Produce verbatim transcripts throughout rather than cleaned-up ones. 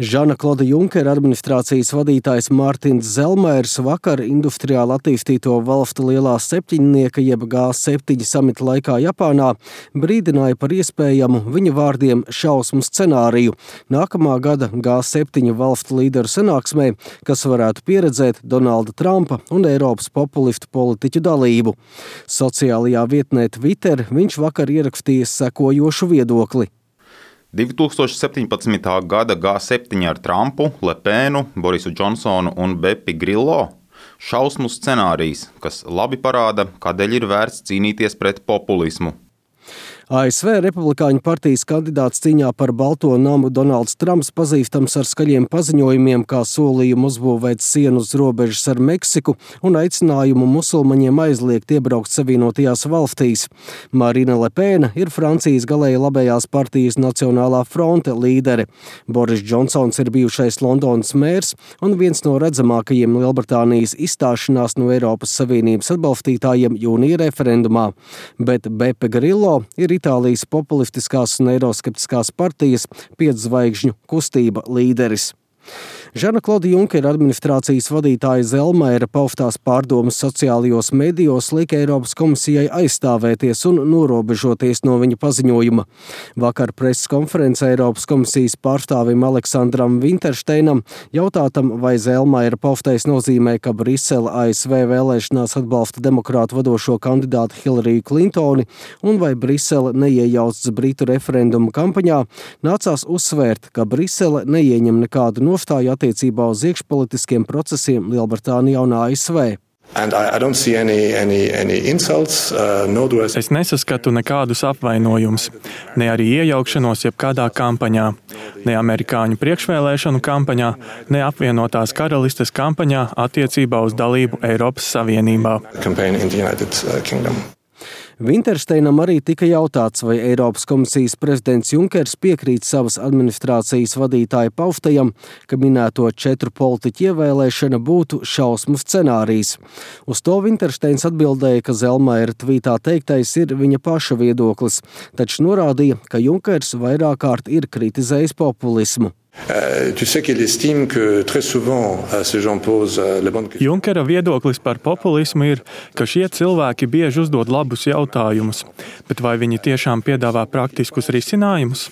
Žana Kloda Junkera administrācijas vadītājs Mārtiņš Zelmairs vakar industriāli attīstīto valstu lielā septiņnieka jeb G septiņi samita laikā Japānā brīdināja par iespējamu viņa vārdiem šausmu scenāriju nākamā gada G septiņi valstu līderu sanāksmē, kas varētu pieredzēt Donalda Trumpa un Eiropas populistu politiķu dalību. Sociālajā vietnē Twitter viņš vakar ierakstījis sekojošu viedokli. divi tūkstoši septiņpadsmitā gada G septiņi ar Trumpu, Lepēnu, Borisu Džonsonu un Bepi Grillo – šausmu scenārijs, kas labi parāda, kādēļ ir vērts cīnīties pret populismu. A S V Republikāņu partijas kandidāts cīņā par Balto namu Donalds Trumps pazīstams ar skaļiem paziņojumiem, kā solījumu uzbūvēt sienu uz robežas ar Meksiku un aicinājumu musulmaņiem aizliegt iebraukt Savienotajās valstīs. Marine Le Pen ir Francijas galēji labējās partijas Nacionālā fronte līdere. Boris Džonsons ir bijušais Londonas mērs un viens no redzamākajiem Lielbritānijas izstāšanās no Eiropas Savienības atbalstītājiem jūnija referendumā. Bet Bepi Grillo ir Itālijas populistiskās un eiroskeptiskās partijas Pietzvaigžņu kustība līderis. Žana Kloda Junkera administrācijas vadītāja Zelmaira paustās pārdomas sociālajos medijos lika Eiropas komisijai aizstāvēties un norobežoties no viņa paziņojuma. Vakar preses konferencē Eiropas komisijas pārstāvim Aleksandram Vinteršteinam jautātam, vai Zelmaira paustais nozīmē, ka Brisele A S V vēlēšanās atbalsta demokrātu vadošo kandidātu Hillariju Klintoni un vai Brisele neiejaucas Britu referendumu kampaņā, nācās uzsvērt, ka Brisele neieņem nekādu nostāju attiecībā uz iekšpolitiskiem procesiem Lielbritānijā un A S V. Any, any, any insults, uh, no es... es nesaskatu nekādus apvainojumus, ne arī iejaukšanos jebkādā kampaņā, ne amerikāņu priekšvēlēšanu kampaņā, ne apvienotās karalistes kampaņā attiecībā uz dalību Eiropas Savienībā. Vinteršteinam arī tika jautāts, vai Eiropas komisijas prezidents Junkers piekrīt savas administrācijas vadītāja paustajam, ka minēto četru politiķu ievēlēšana būtu šausmu scenārijs. Uz to Vinteršteins atbildēja, ka Zelmaira tvītā teiktais ir viņa paša viedoklis, taču norādīja, ka Junkers vairāk kārt ir kritizējis populismu. Junkera viedoklis par populismu ir, ka šie cilvēki bieži uzdod labus jautājumus, bet vai viņi tiešām piedāvā praktiskus risinājumus?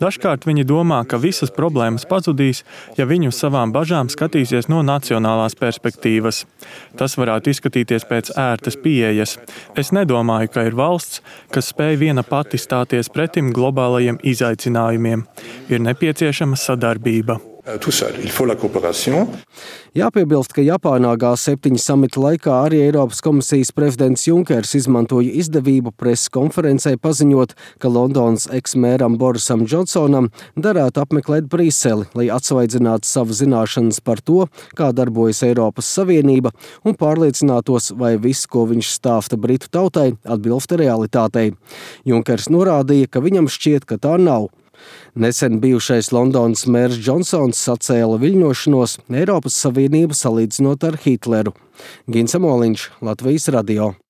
Dažkārt viņi domā, ka visas problēmas pazudīs, ja viņi uz savām bažām skatīsies no nacionālās perspektīvas. Tas varētu izskatīties pēc ērtas pieejas. Es nedomāju, ka ir valsts, kas spēj viena pati stāties pretim globālajiem izaicinājumiem. Ir nepieciešama sadarbība. Jāpiebilst, ka Japānā G septiņi samita laikā arī Eiropas komisijas prezidents Junkers izmantoja izdevību preses konferencē paziņot, ka Londonas eksmēram Borisam Džonsonam derētu apmeklēt Briseli, lai atsvaidzinātu savu zināšanas par to, kā darbojas Eiropas Savienība un pārliecinātos, vai viss, ko viņš stāsta Britu tautai, atbilst realitātei. Junkers norādīja, ka viņam šķiet, ka tā nav. Nesen bijušais Londonas mērs Džonsons sacēla viļņošanos Eiropas Savienību salīdzinot ar Hitleru. Gins Amoliņš, Latvijas radio.